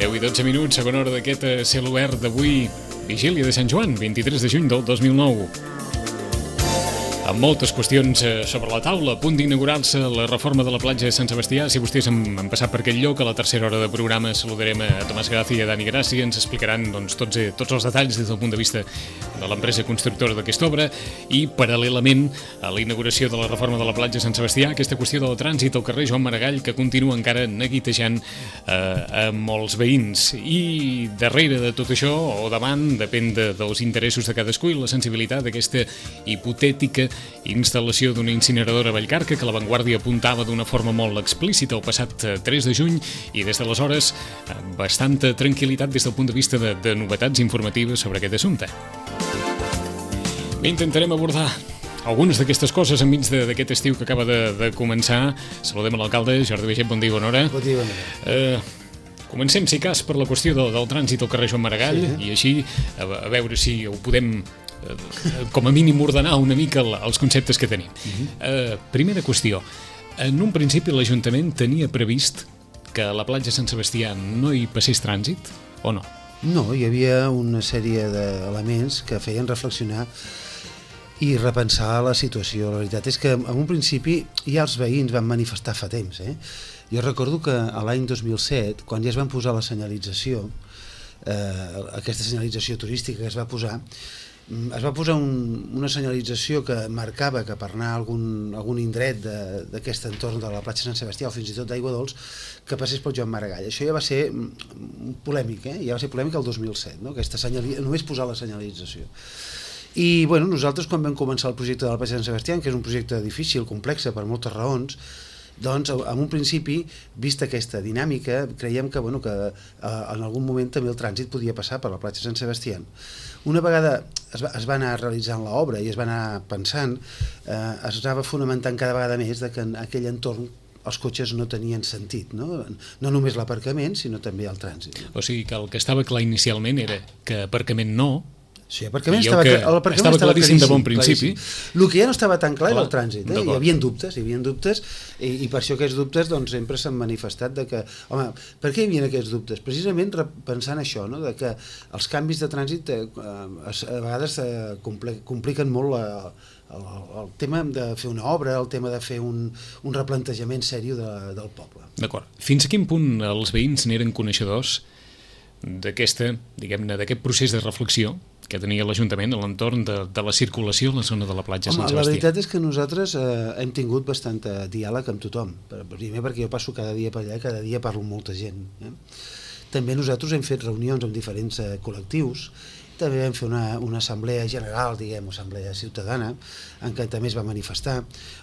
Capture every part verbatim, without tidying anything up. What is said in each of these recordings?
deu i dotze minuts, segona hora d'aquest cel obert d'avui, vigília de Sant Joan, vint-i-tres de juny del dos mil nou. Amb moltes qüestions sobre la taula, a punt d'inaugurar-se la reforma de la platja de Sant Sebastià. Si vostès han, han passat per aquest lloc, a la tercera hora de programa saludarem a Tomàs Gràcia i a Dani Gràcia. Ens explicaran doncs, tots, tots els detalls des del punt de vista de l'empresa constructora d'aquesta obra i, paral·lelament a la inauguració de la reforma de la platja de Sant Sebastià, aquesta qüestió del trànsit al carrer Joan Maragall, que continua encara neguitejant eh, a molts veïns. I darrere de tot això, o davant, depèn de, dels interessos de cadascú i la sensibilitat d'aquesta hipotètica instal·lació d'una incineradora a Vallcarca que la Vanguardia apuntava d'una forma molt explícita el passat tres de juny i des d'aleshores bastanta tranquil·litat des del punt de vista de, de novetats informatives sobre aquest assumpte. Bé, intentarem abordar algunes d'aquestes coses enmig d'aquest estiu que acaba de, de començar. Saludem a l'alcalde, Jordi Baiget, bon dia, bona hora. Bon dia, bona hora. Eh, comencem, si cas, per la qüestió del, del trànsit al carrer Joan Maragall, sí, eh? I així a, a veure si ho podem com a mínim ordenar una mica els conceptes que tenim. Uh-huh. uh, Primera qüestió, en un principi l'Ajuntament tenia previst que a la platja Sant Sebastià no hi passés trànsit o no? No, hi havia una sèrie d'elements que feien reflexionar i repensar la situació. La veritat és que en un principi ja els veïns van manifestar fa temps. Eh? Jo recordo que a l'any dos mil set, quan ja es van posar la senyalització, eh, aquesta senyalització turística que es va posar, es va posar un, una senyalització que marcava que per anar a algun, algun indret d'aquest entorn de la platja Sant Sebastià o fins i tot d'Aigua Dols que passés pel Joan Maragall. Això ja va ser polèmic, eh? ja va ser polèmic el dos mil set, no? Aquesta senyalització, només posar la senyalització. I bueno, nosaltres quan vam començar el projecte de la platja Sant Sebastià, que és un projecte difícil, complex per moltes raons, doncs en un principi, vista aquesta dinàmica, creiem que, bueno, que eh, en algun moment també el trànsit podia passar per la platja Sant Sebastià. Una vegada es va, es va anar realitzant l'obra i es va anar pensant, eh, es anava fonamentant cada vegada més de que en aquell entorn els cotxes no tenien sentit, no? No només l'aparcament, sinó també el trànsit. O sigui que el que estava clar inicialment era que aparcament no. Sí, l'aparcament estava, estava, estava claríssim de bon principi. Claríssim. El que ja no estava tan clar era el trànsit. Eh? Hi havia dubtes, hi havia dubtes i, i per això aquests dubtes doncs, sempre s'han manifestat de que, home, per què hi havia aquests dubtes? Precisament pensant això, no? De que els canvis de trànsit eh, a vegades eh, compliquen molt la, el, el tema de fer una obra, el tema de fer un, un replantejament seriós de, del poble. D'acord. Fins a quin punt els veïns n'eren coneixedors d'aquesta, diguem-ne, d'aquest procés de reflexió que tenia l'Ajuntament a l'entorn de, de la circulació a la zona de la platja Sant Sebastià? La veritat és que nosaltres eh, hem tingut bastant diàleg amb tothom. Primer perquè jo passo cada dia per allà, cada dia parlo amb molta gent. Eh? També nosaltres hem fet reunions amb diferents eh, col·lectius, també vam fer una, una assemblea general, diguem, assemblea ciutadana, en què també es va manifestar.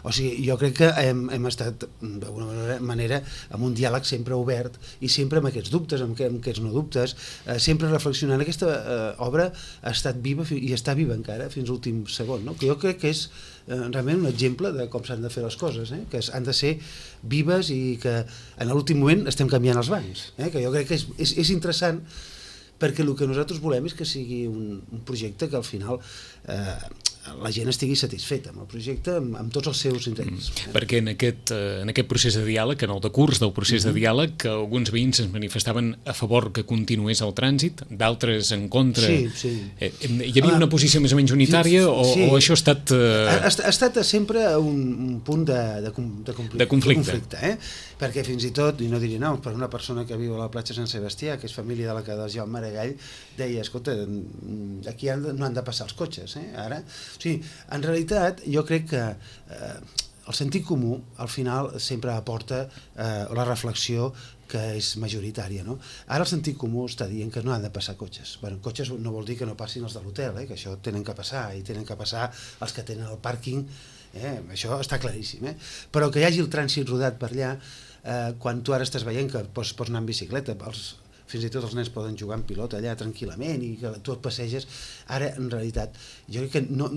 O sigui, jo crec que hem, hem estat, d'alguna manera, amb un diàleg sempre obert i sempre amb aquests dubtes, amb aquests no dubtes, eh, sempre reflexionant. Aquesta eh, obra ha estat viva i està viva encara fins a l'últim segon, no? Que jo crec que és eh, realment un exemple de com s'han de fer les coses, eh? Que han de ser vives i que en l'últim moment estem canviant els bancs, eh? Que jo crec que és, és, és interessant perquè el que nosaltres volem és que sigui un, un projecte que al final eh, la gent estigui satisfeta amb el projecte, amb, amb tots els seus interessos. Mm. Perquè en aquest, en aquest procés de diàleg, en el decurs del procés mm-hmm. de diàleg, que alguns veïns es manifestaven a favor que continués el trànsit, d'altres en contra. Sí, sí. Eh, hi havia una posició més o menys unitària o, sí. o això ha estat... Eh... Ha, ha estat sempre un, un punt de, de, de, conflicte, de conflicte. De conflicte eh? Perquè fins i tot, i no diré no, per una persona que viu a la platja Sant Sebastià, que és família de la que del Joan Maragall, deia, escolta, aquí han de, no han de passar els cotxes, eh? Ara... O sigui, en realitat, jo crec que eh, el sentit comú, al final, sempre aporta eh, la reflexió que és majoritària, no? Ara el sentit comú està dient que no han de passar cotxes. Bueno, cotxes no vol dir que no passin els de l'hotel, eh? Que això tenen que passar, i tenen que passar els que tenen el pàrquing, eh? Això està claríssim, eh? Però que hi hagi el trànsit rodat per allà, eh, quan tu ara estàs veient que pots, pots anar en bicicleta, els, fins i tot els nens poden jugar en pilota allà tranquil·lament i que tu et passeges, ara en realitat jo crec que no...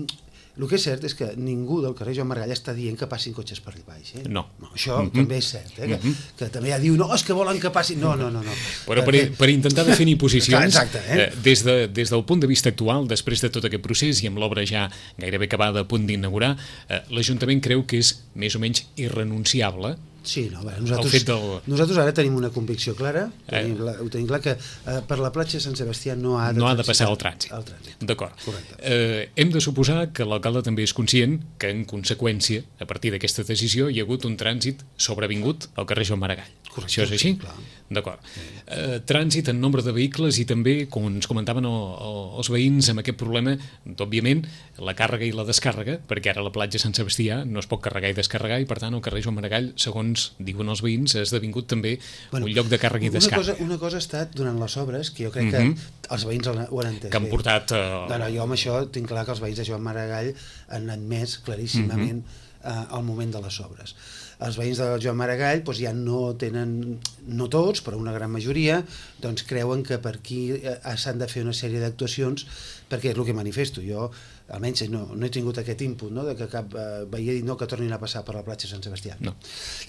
El que és cert és que ningú del carrer Joan Maragall està dient que passin cotxes per allà baix. Eh? No. no. Això mm-hmm. també és cert, eh? que, mm-hmm. que també ja diu, no, és que volen que passin... No, no, no. no. Però per, per intentar definir posicions, exacte, eh? eh, des, de, des del punt de vista actual, després de tot aquest procés i amb l'obra ja gairebé acabada a punt d'inaugurar, eh, l'Ajuntament creu que és més o menys irrenunciable Sí, no, bé, nosaltres, del... nosaltres ara tenim una convicció clara, tenim, eh. la, ho tenim clar, que eh, per la platja Sant Sebastià no ha de, no ha de passar el trànsit. El trànsit. D'acord. Eh, hem de suposar que l'alcalde també és conscient que, en conseqüència, a partir d'aquesta decisió, hi ha hagut un trànsit sobrevingut al carrer Joan Maragall. Correcte, això és així? Clar. D'acord. Sí. Eh, trànsit en nombre de vehicles i també, com ens comentaven el, el, els veïns, amb aquest problema, òbviament, la càrrega i la descàrrega, perquè ara la platja Sant Sebastià no es pot carregar i descarregar, i per tant el carrer Joan Maragall, segons diuen els veïns, ha esdevingut també bueno, un lloc de càrrega i descàrrega. Una cosa, una cosa ha estat durant les obres, que jo crec que mm-hmm. els veïns ho han entès. Que han portat... Uh... No, no, jo amb això tinc clar que els veïns de Joan Maragall han admès claríssimament mm-hmm. uh, el moment de les obres. Els veïns de Joan Maragall doncs, ja no tenen, no tots, però una gran majoria, doncs creuen que per aquí s'han de fer una sèrie d'actuacions, perquè és el que manifesto. Jo, almenys, no, no he tingut aquest input, no?, de que cap eh, veí dit no que tornin a passar per la platja Sant Sebastià. No.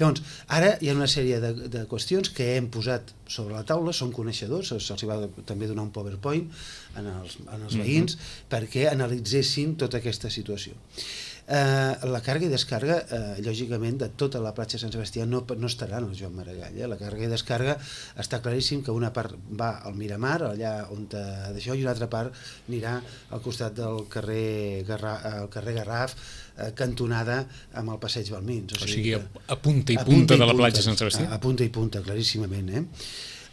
Llavors, ara hi ha una sèrie de, de qüestions que hem posat sobre la taula, són coneixedors, se'ls va també donar un PowerPoint en els, en els veïns, mm-hmm. perquè analitzessin tota aquesta situació. Eh, la càrrega i descàrrega, eh, lògicament, de tota la platja Sant Sebastià no, no estarà en el Joan Maragall. Eh? La càrrega i descàrrega està claríssim que una part va al Miramar, allà on d'això, i una altra part anirà al costat del carrer, Garra, el carrer Garraf, eh, cantonada amb el passeig Balmins. O sigui, o sigui a, a punta i punta, punta de la platja Sant Sebastià. A, a punta i punta, claríssimament. Eh?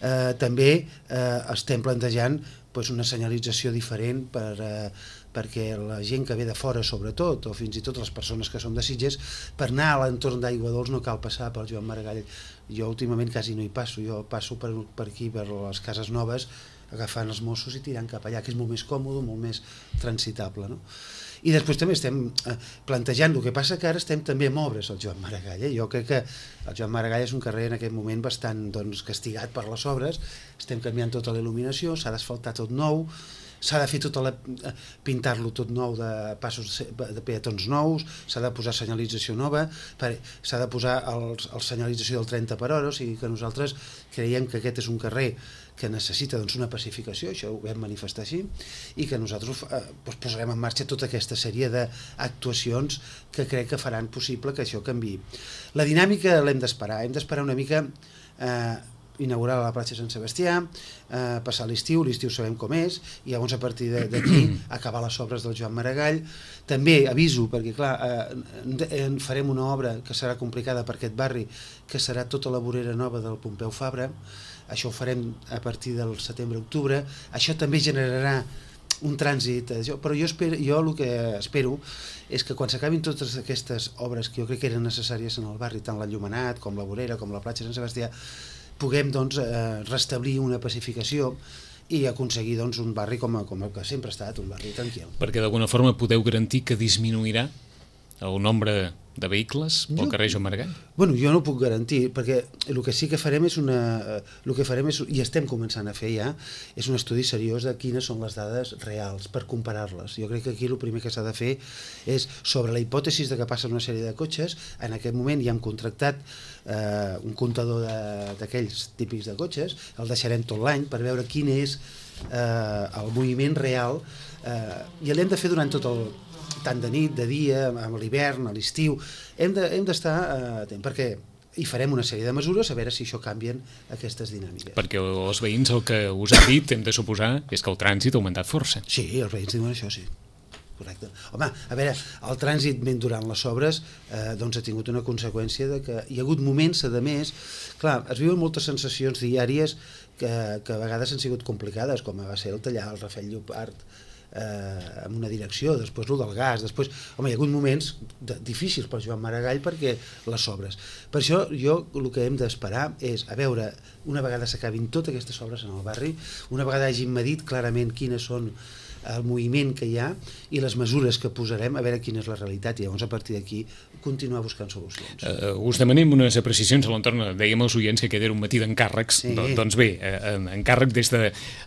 Eh, també eh, estem plantejant pues, una senyalització diferent per... Eh, perquè la gent que ve de fora, sobretot, o fins i tot les persones que som de Sitges, per anar a l'entorn d'Aigua Dols no cal passar pel Joan Maragall. Jo últimament quasi no hi passo, jo passo per, per aquí, per les cases noves, agafant els Mossos i tirant cap allà, que és molt més còmode, molt més transitable, no? I després també estem eh, plantejant, el que passa que ara estem també amb obres al Joan Maragall. Eh? Jo crec que el Joan Maragall és un carrer en aquest moment bastant doncs, castigat per les obres, estem canviant tota la il·luminació, s'ha d'asfaltar tot nou, s'ha de fer tota la, pintar-lo tot nou de passos de peatons nous, s'ha de posar senyalització nova, s'ha de posar el, el senyalització del trenta per hora, o sigui que nosaltres creiem que aquest és un carrer que necessita doncs, una pacificació, això ho vam manifestar així, i que nosaltres eh, doncs, posarem en marxa tota aquesta sèrie d'actuacions que crec que faran possible que això canviï. La dinàmica l'hem d'esperar, hem d'esperar una mica eh, inaugurar la platja Sant Sebastià, eh, passar l'estiu, l'estiu sabem com és, i llavors a partir d'aquí acabar les obres del Joan Maragall. També aviso, perquè clar, eh, farem una obra que serà complicada per aquest barri, que serà tota la vorera nova del Pompeu Fabra, això ho farem a partir del setembre-octubre, això també generarà un trànsit, però jo, espero, jo el que espero és que quan s'acabin totes aquestes obres que jo crec que eren necessàries en el barri, tant l'enllumenat com la vorera com la platja Sant Sebastià, puguem doncs, eh, restablir una pacificació i aconseguir doncs, un barri com, com el que sempre ha estat, un barri tranquil. Perquè d'alguna forma podeu garantir que disminuirà el nombre de vehicles pel carrer Joan Maragall? Bueno, jo no ho puc garantir, perquè el que sí que farem és una... El que farem és, i estem començant a fer ja, és un estudi seriós de quines són les dades reals per comparar-les. Jo crec que aquí el primer que s'ha de fer és, sobre la hipòtesi de que passen una sèrie de cotxes, en aquest moment ja hem contractat eh, un comptador d'aquells típics de cotxes, el deixarem tot l'any per veure quin és eh, el moviment real eh, i l'hem de fer durant tot el tant de nit, de dia, amb l'hivern, a l'estiu, hem d'estar de, eh, atent, perquè hi farem una sèrie de mesures a veure si això canvien aquestes dinàmiques. Perquè els veïns el que us han dit, hem de suposar, és que el trànsit ha augmentat força. Sí, els veïns diuen això, sí. Correcte. Home, a veure, el trànsit durant les obres eh, doncs ha tingut una conseqüència de que hi ha hagut moments, a més, clar, es viuen moltes sensacions diàries que, que a vegades han sigut complicades, com va ser el tallar el Rafel Llopart, Eh, en una direcció, després el del gas, després, home, hi ha hagut moments de, difícils per Joan Maragall perquè les obres. Per això jo el que hem d'esperar és a veure, una vegada s'acabin totes aquestes obres en el barri, una vegada hagin medit clarament quines són el moviment que hi ha i les mesures que posarem, a veure quina és la realitat, i llavors a partir d'aquí continuar buscant solucions. Uh, us demanem unes apreciacions a l'entorn, dèiem als oients que aquest era un matí d'encàrrecs, sí. Do, doncs bé, uh, encàrrec des de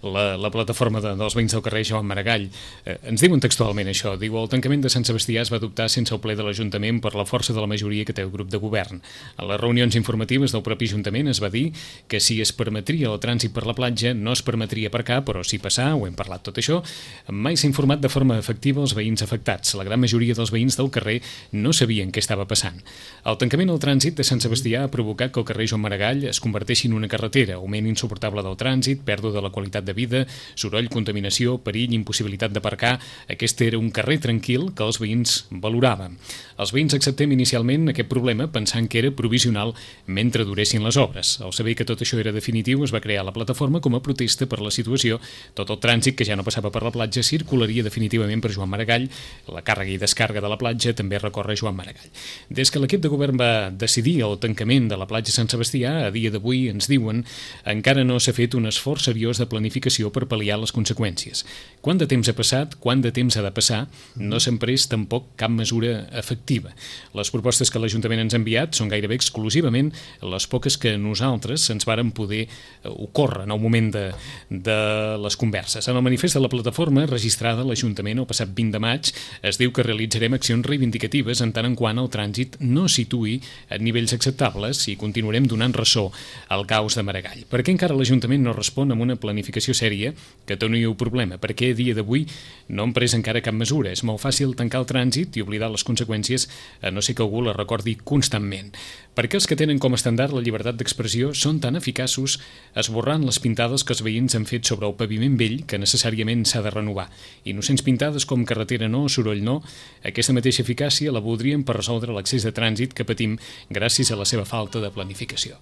la, la plataforma de, dels veïns del carrer Joan Maragall. Uh, ens diuen textualment això, diu, el tancament de Sant Sebastià es va adoptar sense el ple de l'Ajuntament per la força de la majoria que té el grup de govern. A les reunions informatives del propi Ajuntament es va dir que si es permetria el trànsit per la platja no es permetria aparcar, però sí passar, ho hem parlat tot això, mai s'ha informat de forma efectiva els veïns afectats. La gran majoria dels veïns del carrer no sabien què estava passant. El tancament al trànsit de Sant Sebastià ha provocat que el carrer Joan Maragall es converteixi en una carretera, augment insuportable del trànsit, pèrdua de la qualitat de vida, soroll, contaminació, perill, impossibilitat d'aparcar. Aquest era un carrer tranquil que els veïns valoraven. Els veïns acceptem inicialment aquest problema pensant que era provisional mentre duressin les obres. Al saber que tot això era definitiu, es va crear la plataforma com a protesta per la situació. Tot el trànsit que ja no passava per la platja circularia definitivament per Joan Maragall. La càrrega i descàrrega de la platja també recorre Joan Maragall. Des que l'equip de govern va decidir el tancament de la platja Sant Sebastià, a dia d'avui ens diuen encara no s'ha fet un esforç seriós de planificació per pal·liar les conseqüències. Quant de temps ha passat, quant de temps ha de passar, no s'ha pres tampoc cap mesura efectiva. Les propostes que l'Ajuntament ens ha enviat són gairebé exclusivament les poques que nosaltres ens vàrem poder ocórrer en el moment de, de les converses. En el manifest de la plataforma registrada a l'Ajuntament el passat vint de maig es diu que realitzarem accions reivindicatives en tant en quant el trànsit no situï a nivells acceptables i continuarem donant ressò al caos de Maragall. Per què encara l'Ajuntament no respon amb una planificació sèria que doni el problema? Per què a dia d'avui no han pres encara cap mesura? És molt fàcil tancar el trànsit i oblidar les conseqüències a no ser que algú la recordi constantment. Perquè els que tenen com a estàndard la llibertat d'expressió són tan eficaços esborrant les pintades que els veïns han fet sobre el paviment vell que necessàriament s'ha de renovar. Innocents pintades com carretera no, soroll no, aquesta mateixa eficàcia la voldrien per resoldre l'accés de trànsit que patim gràcies a la seva falta de planificació.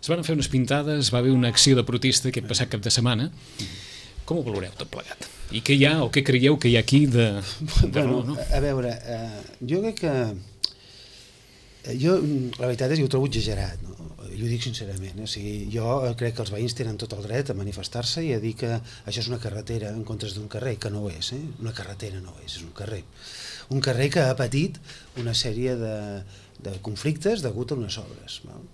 Es van fer unes pintades, va haver una acció de protesta aquest passat cap de setmana. Com ho valoreu tot plegat? I què hi ha o què creieu que hi ha aquí de... de bueno, no, no? A veure, eh, jo crec que jo, la veritat és que ho trobo exagerat, no? Jo ho dic sincerament, eh? O sigui, jo crec que els veïns tenen tot el dret a manifestar-se i a dir que això és una carretera en comptes d'un carrer, que no ho és, eh? Una carretera no ho és, és un carrer. Un carrer que ha patit una sèrie de, de conflictes degut a unes obres, no?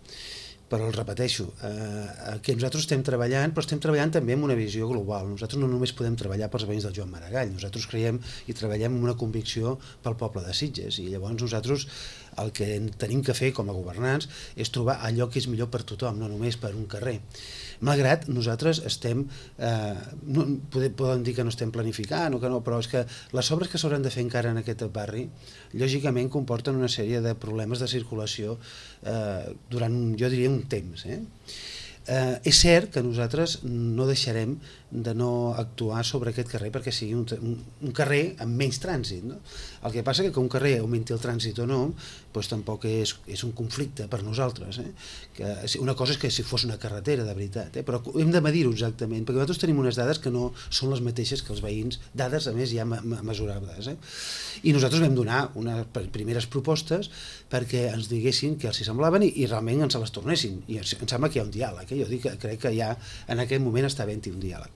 Però el repeteixo, eh, que nosaltres estem treballant, però estem treballant també amb una visió global. Nosaltres no només podem treballar pels veïns del Joan Maragall, nosaltres creiem i treballem amb una convicció pel poble de Sitges, i llavors nosaltres el que tenim que fer com a governants és trobar allò que és millor per tothom, no només per un carrer. Malgrat nosaltres estem, eh, no, poden dir que no estem planificant o que no, però és que les obres que s'hauran de fer encara en aquest barri, lògicament comporten una sèrie de problemes de circulació eh, durant, jo diria, un temps. Eh? Eh, és cert que nosaltres no deixarem de no actuar sobre aquest carrer perquè sigui un, un, un carrer amb menys trànsit, no? El que passa que que un carrer augmenti el trànsit o no, doncs tampoc és, és un conflicte per nosaltres, eh? Que una cosa és que si fos una carretera de veritat, eh? Però hem de medir-ho exactament, perquè nosaltres tenim unes dades que no són les mateixes que els veïns, dades a més ja mesurables, eh? I nosaltres vam donar unes primeres propostes perquè ens diguessin que els hi semblaven i, i realment ens les tornessin, i em sembla que hi ha un diàleg, eh? Jo dic que crec que ja en aquest moment està havent-hi un diàleg.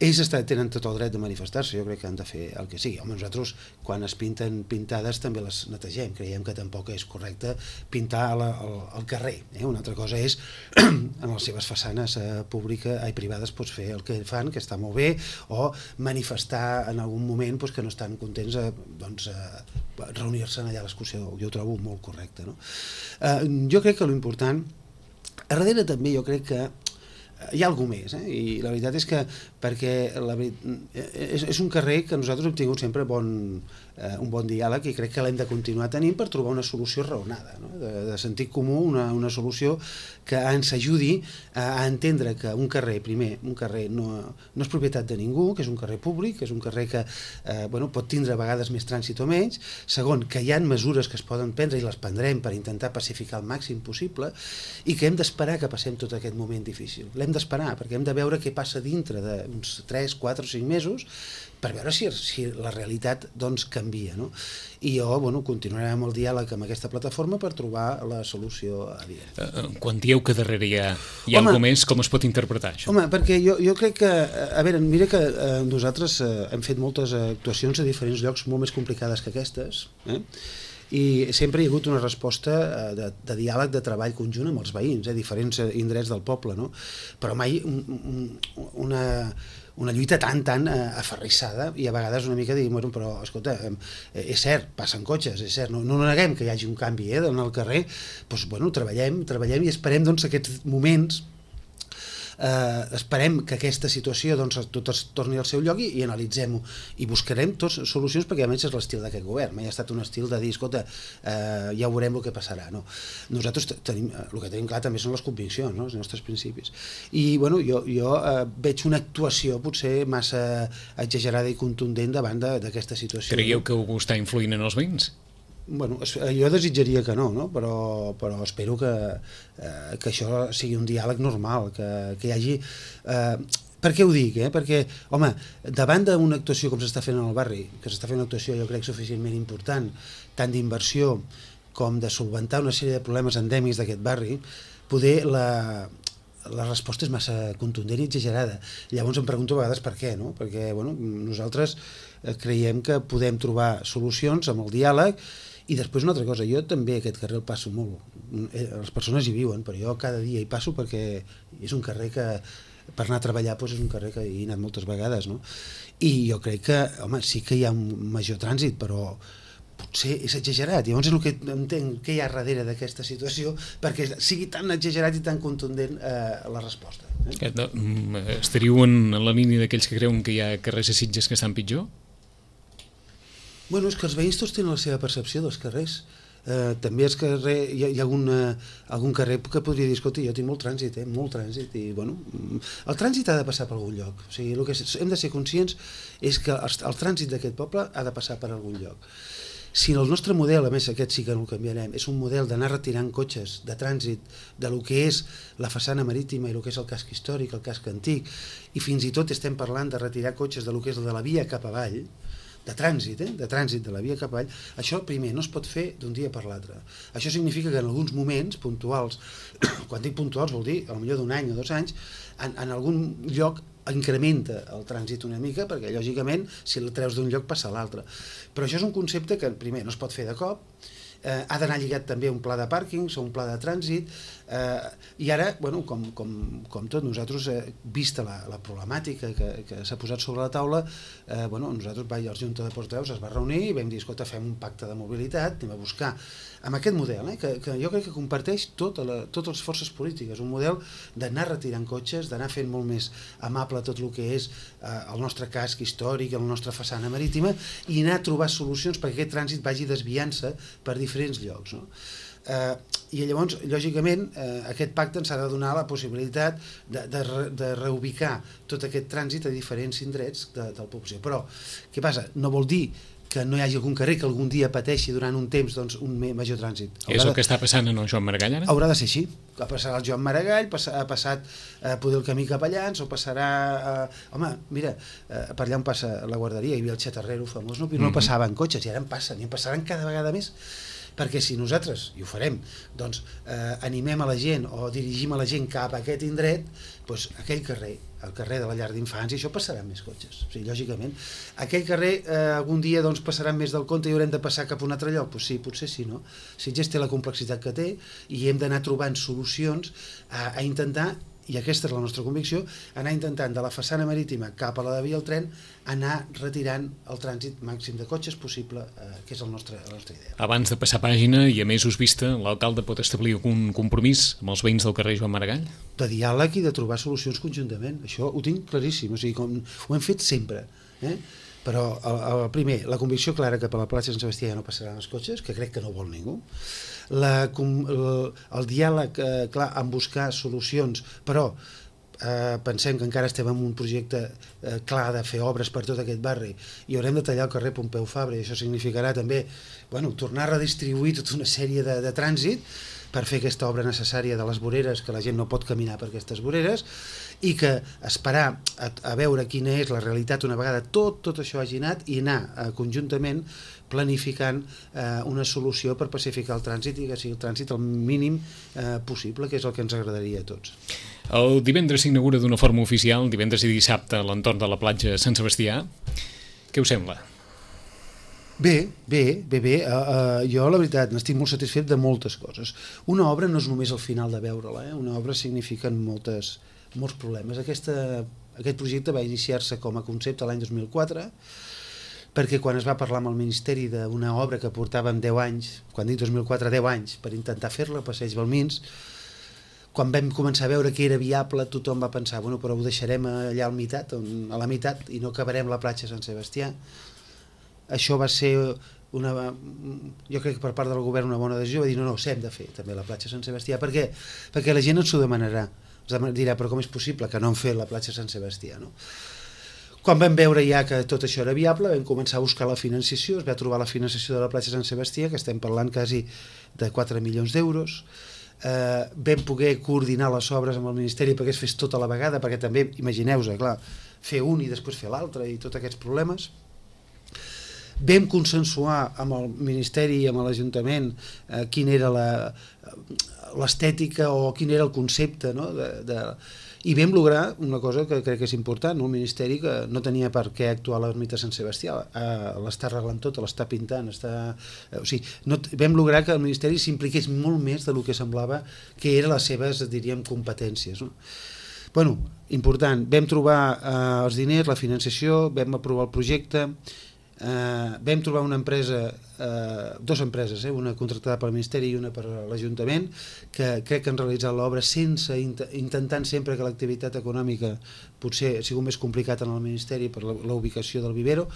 Ells tenen tot el dret de manifestar-se, jo crec que han de fer el que sigui. Home, nosaltres, quan es pinten pintades, també les netegem. Creiem que tampoc és correcte pintar la, el, el carrer. Eh? Una altra cosa és, en les seves façanes eh, públiques i privades, pues, fer el que fan, que està molt bé, o manifestar en algun moment pues, que no estan contents a doncs, reunir-se allà a l'excursió. Jo ho trobo molt correcte. No? Eh, jo crec que l'important, a darrere també jo crec que hi ha alguna més, eh? I la veritat és que perquè la, és, és un carrer que nosaltres hem tingut sempre bon, eh, un bon diàleg i crec que l'hem de continuar tenint per trobar una solució raonada, no? de, de sentit comú, una, una solució que ens ajudi a, a entendre que un carrer, primer, un carrer no, no és propietat de ningú, que és un carrer públic, que és un carrer que eh, bueno, pot tindre a vegades més trànsit o menys, segon, que hi ha mesures que es poden prendre i les prendrem per intentar pacificar el màxim possible i que hem d'esperar que passem tot aquest moment difícil. L'hem d'esperar perquè hem de veure què passa dintre d'uns tres, quatre o cinc mesos per veure si, si la realitat doncs, canvia. No? I jo bueno, continuaré amb el diàleg amb aquesta plataforma per trobar la solució adient. Uh, quan dieu que darrere hi ha, hi ha home, alguna més, com es pot interpretar això? Home, perquè jo, jo crec que, a veure, mira que eh, nosaltres eh, hem fet moltes actuacions a diferents llocs molt més complicades que aquestes, eh? I sempre hi ha hagut una resposta de, de diàleg, de treball conjunt amb els veïns, eh, diferents indrets del poble, no? Però mai un, un, una, una lluita tan, tan aferrissada i a vegades una mica dir, bueno, però escolta, és cert, passen cotxes, és cert, no, no neguem que hi hagi un canvi eh, en el carrer, doncs bueno, treballem, treballem i esperem doncs, aquests moments eh, esperem que aquesta situació doncs, tot es torni al seu lloc i, i analitzem-ho i buscarem tots solucions, perquè a més és l'estil d'aquest govern, mai ha estat un estil de dir, escolta, eh, ja veurem el que passarà, no? Nosaltres tenim, el que tenim clar també són les conviccions, no? Els nostres principis, i bueno, jo, jo eh, veig una actuació potser massa exagerada i contundent davant d'aquesta situació. Creieu que ho està influint en els veïns? Bueno, jo desitjaria que no, no? Però, però espero que, eh, que això sigui un diàleg normal, que, que hi hagi... Eh, per què ho dic? Eh? Perquè, home, davant d'una actuació com s'està fent en el barri, que s'està fent una actuació jo crec suficientment important, tant d'inversió com de solventar una sèrie de problemes endèmics d'aquest barri, poder la... la resposta és massa contundent i exagerada. Llavors em pregunto a vegades per què, no? Perquè bueno, nosaltres creiem que podem trobar solucions amb el diàleg. I després una altra cosa, jo també aquest carrer el passo molt, les persones hi viuen, però jo cada dia hi passo perquè és un carrer que per anar a treballar doncs és un carrer que hi he anat moltes vegades, no? I jo crec que, home, sí que hi ha un major trànsit, però potser és exagerat. Llavors és el que entenc que hi ha darrere d'aquesta situació perquè sigui tan exagerat i tan contundent eh, la resposta. Eh? Estaríeu en la línia d'aquells que creuen que hi ha carrers a Sitges que estan pitjor? Bueno, és que els veïns tots tenen la seva percepció dels carrers. Eh, també és carrer, hi ha, hi ha algun, eh, algun carrer que podria dir, escolta, jo tinc molt trànsit, eh, molt trànsit, i bueno, el trànsit ha de passar per algun lloc. O sigui, el que hem de ser conscients és que el, el trànsit d'aquest poble ha de passar per algun lloc. Si el nostre model, a més aquest sí que no el canviarem, és un model d'anar retirant cotxes de trànsit de lo que és la façana marítima i el que és el casc històric, el casc antic, i fins i tot estem parlant de retirar cotxes de lo que és de la via cap avall, de trànsit, eh? de trànsit de la via cap avall, això primer no es pot fer d'un dia per l'altre. Això significa que en alguns moments puntuals, quan dic puntuals vol dir potser d'un any o dos anys, en, en algun lloc incrementa el trànsit una mica, perquè lògicament si el treus d'un lloc passa a l'altre. Però això és un concepte que primer no es pot fer de cop, eh, ha d'anar lligat també a un pla de pàrquings o un pla de trànsit, eh, i ara, bueno, com, com, com tot, nosaltres, eh, vista la, la problemàtica que, que s'ha posat sobre la taula, eh, bueno, nosaltres, va, el Junta de Portaveus es va reunir i vam dir, escolta, fem un pacte de mobilitat, anem a buscar amb aquest model, eh, que, que jo crec que comparteix tota la, totes les forces polítiques, un model d'anar retirant cotxes, d'anar fent molt més amable tot el que és eh, el nostre casc històric, la nostra façana marítima, i anar a trobar solucions perquè aquest trànsit vagi desviant-se per diferents llocs, no? Eh, i llavors, lògicament, eh, aquest pacte ens ha de donar la possibilitat de, de, re, de reubicar tot aquest trànsit a diferents indrets de, de la població. Però, què passa? No vol dir que no hi hagi algun carrer que algun dia pateixi durant un temps doncs, un major trànsit. Haurà és el de... que està passant en el Joan Maragall ara? Haurà de ser així. Ha passat el Joan Maragall, ha passat eh, poder el camí Capellans, o passarà... Eh, home, mira, eh, per allà on passa la guarderia, hi havia el Xatarrero famós, no, no passaven cotxes, i ara en passen, i en passaran cada vegada més. Perquè si nosaltres, i ho farem, doncs eh, animem a la gent o dirigim a la gent cap a aquest indret, doncs aquell carrer, el carrer de la llar d'infants, i això passaran més cotxes, o sigui, lògicament. Aquell carrer eh, algun dia doncs, passaran més del compte i haurem de passar cap a un altre lloc? Doncs sí, potser sí, no? Sitges té la complexitat que té i hem d'anar trobant solucions a, a intentar, i aquesta és la nostra convicció, anar intentant de la façana marítima cap a la de via al tren, anar retirant el trànsit màxim de cotxes possible, eh, que és el nostre, la nostra idea. Abans de passar pàgina, i a més us vista, l'alcalde pot establir un compromís amb els veïns del carrer Joan Maragall? De diàleg i de trobar solucions conjuntament, això ho tinc claríssim, o sigui, com ho hem fet sempre, eh? Però el, el primer, la convicció clara que per la plaça Sant Sebastià ja no passaran els cotxes, que crec que no vol ningú, la, el, el diàleg eh, clar en buscar solucions, però eh, pensem que encara estem en un projecte eh, clar de fer obres per tot aquest barri i haurem de tallar el carrer Pompeu Fabra, i això significarà també bueno, tornar a redistribuir tota una sèrie de, de trànsit per fer aquesta obra necessària de les voreres, que la gent no pot caminar per aquestes voreres, i que esperar a, a veure quina és la realitat una vegada tot, tot això hagi anat, i anar eh, conjuntament planificant eh, una solució per pacificar el trànsit i que sigui el trànsit el mínim eh, possible, que és el que ens agradaria a tots. El divendres s'inaugura d'una forma oficial, divendres i dissabte, a l'entorn de la platja Sant Sebastià. Què us sembla? Bé, bé, bé, bé. Uh, uh, jo la veritat n'estic molt satisfet de moltes coses. Una obra no és només el final de veure-la, eh? Una obra significa moltes, molts problemes. Aquesta, aquest projecte va iniciar-se com a concepte l'any dos mil quatre, perquè quan es va parlar amb el Ministeri d'una obra que portàvem deu anys, quan dic dos mil quatre, deu anys, per intentar fer-la, Passeig Balmins, quan vam començar a veure que era viable, tothom va pensar, bueno, però ho deixarem allà al mitat, a la meitat, i no acabarem la platja Sant Sebastià. Això va ser una, jo crec que per part del govern una bona decisió, va dir, no, no, s'hem de fer també la platja Sant Sebastià. Per què? Perquè la gent ens ho demanarà. Ens dirà, però com és possible que no hem fet la platja Sant Sebastià, no? Quan vam veure ja que tot això era viable, vam començar a buscar la financiació, es va trobar la financiació de la platja Sant Sebastià, que estem parlant quasi de quatre milions d'euros. Eh, vam poder coordinar les obres amb el Ministeri perquè es fes tota la vegada, perquè també, imagineu-vos, clar, fer un i després fer l'altre i tots aquests problemes. Vam consensuar amb el Ministeri i amb l'Ajuntament eh, quina era l'estètica o quin era el concepte, no? de, de... i vam lograr una cosa que crec que és important, no? El Ministeri que no tenia per què actuar a l'ermita Sant Sebastià, eh, l'està arreglant tot, l'està pintant, està... Eh, o sigui, no, vam lograr que el Ministeri s'impliqués molt més del que semblava que eren les seves, diríem, competències, no? Bueno, important, vam trobar eh, els diners, la financiació, vam aprovar el projecte. Uh, vam trobar una empresa, uh, dues empreses, eh, una contractada pel Ministeri i una per l'Ajuntament, que crec que han realitzat l'obra sense int intentant sempre que l'activitat econòmica potser ha sigut més complicat en el Ministeri per la, la ubicació del vivero,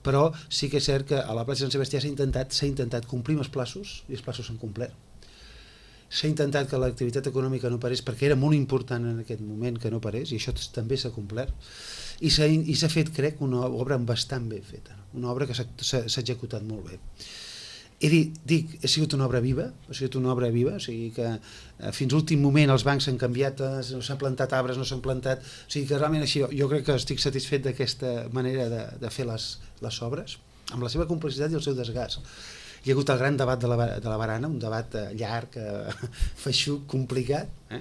però sí que és cert que a la platja Sant Sebastià s'ha intentat, s'ha intentat complir els plaços i els plaços s'han complert. S'ha intentat que l'activitat econòmica no parés perquè era molt important en aquest moment que no parés i això també s'ha complert. I s'ha fet, crec, una obra bastant ben feta, una obra que s'ha executat molt bé. He dit, dic, ha sigut una obra viva, ha sigut una obra viva, o sigui que eh, fins a l'últim moment els bancs s'han canviat, no s'han plantat arbres, no s'han plantat, o sigui que realment així, jo crec que estic satisfet d'aquesta manera de, de fer les, les obres, amb la seva complexitat i el seu desgast. Hi ha hagut el gran debat de la, de la barana, un debat llarg, eh, feixuc, complicat. Eh?